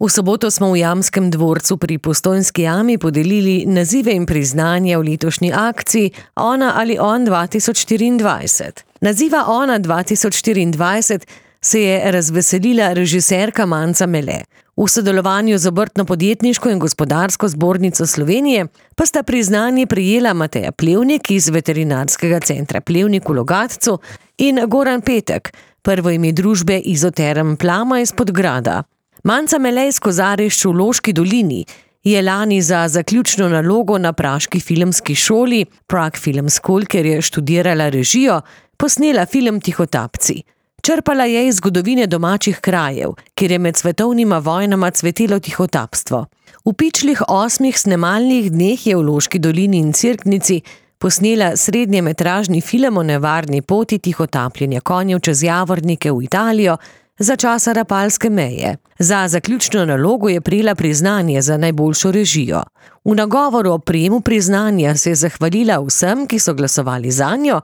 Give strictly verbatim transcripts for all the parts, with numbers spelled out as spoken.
V soboto smo v Jamskem dvorcu pri Postojnski jami podelili nazive in priznanja v letošnji akciji Ona ali on dva tisoč štiriindvajset. Naziva Ona dva tisoč štiriindvajset se je razveselila režiserka Manca Mele. V sodelovanju z Obrtno-podjetniško in gospodarsko zbornico Slovenije pa sta priznanje prejela Mateja Plevnik iz Veterinarskega centra Plevnik v Logatcu in Goran Petek, prvo ime družbe Izoterm Plama iz Podgrada. Manca Mele iz Kozarišč v Loški dolini je lani za zaključno nalogo na praški filmski šoli Prague Film School, kjer je študirala režijo, posnela film Tihotapci. Črpala je iz zgodovine domačih krajev, kjer je med svetovnima vojnama cvetelo tihotapstvo. V pičlih osmih snemalnih dneh je v Loški dolini in Cerknici posnela srednjemetražni film o nevarni poti tihotapljenja konjev čez Javornike v Italijo za časa Rapalske meje. Za zaključno nalogo je prejela priznanje za najboljšo režijo. V nagovoru o prejemu priznanja se je zahvalila vsem, ki so glasovali zanjo,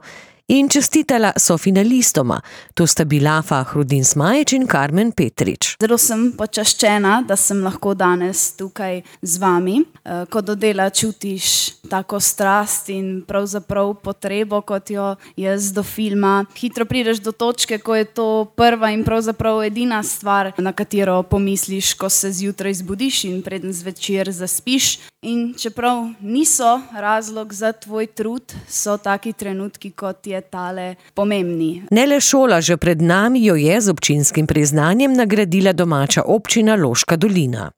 in čestitala sofinalistoma, to sta bila Fahrudin Smajić in Karmen Petrič. Zelo sem počaščena, da sem lahko danes tukaj z vami. Ko do dela čutiš tako strast in pravzaprav potrebo, kot jo jaz do filma. Hitro prideš do točke, ko je to prva in pravzaprav edina stvar, na katero pomisliš, ko se zjutraj zbudiš in preden zvečer zaspiš. In čeprav niso razlog za tvoj trud, so taki trenutki, kot je tale, pomembni. Ne le šola, že pred nami jo je z občinskim priznanjem nagradila domača občina Loška dolina.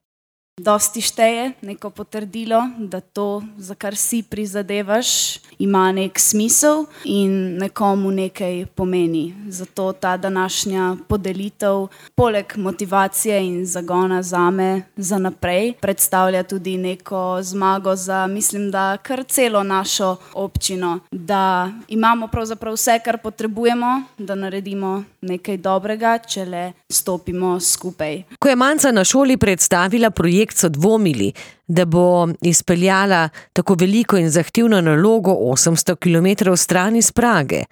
Dosti šteje neko potrdilo, da to, za kar si prizadevaš, ima nek smisel in nekomu nekaj pomeni. Zato ta današnja podelitev, poleg motivacije in zagona zame za naprej, predstavlja tudi neko zmago za, mislim, da kar celo našo občino. Da imamo pravzaprav vse, kar potrebujemo, da naredimo nekaj dobrega, če le stopimo skupaj. Ko je Manca na šoli predstavila projekt, so dvomili, da bo izpeljala tako veliko in zahtevno nalogo osemsto kilometrov stran iz Prage.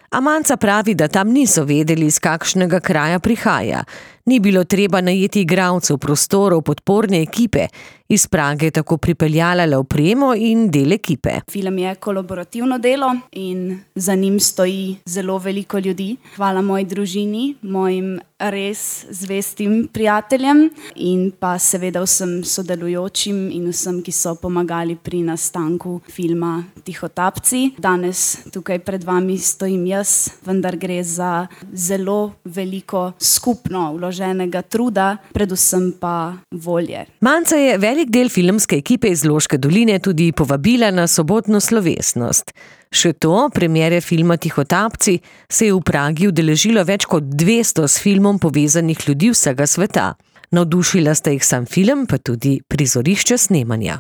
A Manca pravi, da tam niso vedeli, iz kakšnega kraja prihaja. Ni bilo treba najeti igralcev, prostorov, podporne ekipe. Iz Prage je tako pripeljala le opremo in del ekipe. Film je kolaborativno delo in za njim stoji zelo veliko ljudi. Hvala moji družini, mojim res zvestim prijateljem in pa seveda vsem sodelujočim in vsem, ki so pomagali pri nastanku filma Tihotapci. Danes tukaj pred vami stojim jaz, vendar gre za zelo veliko skupno vloženega truda, predvsem pa volje. Manca je velik del filmske ekipe iz Loške doline tudi povabila na sobotno slovesnost. Še to, premiere filma Tihotapci se je v Pragi udeležilo več kot dvesto s filmom povezanih ljudi vsega sveta. Navdušila sta jih sam film, pa tudi prizorišče snemanja.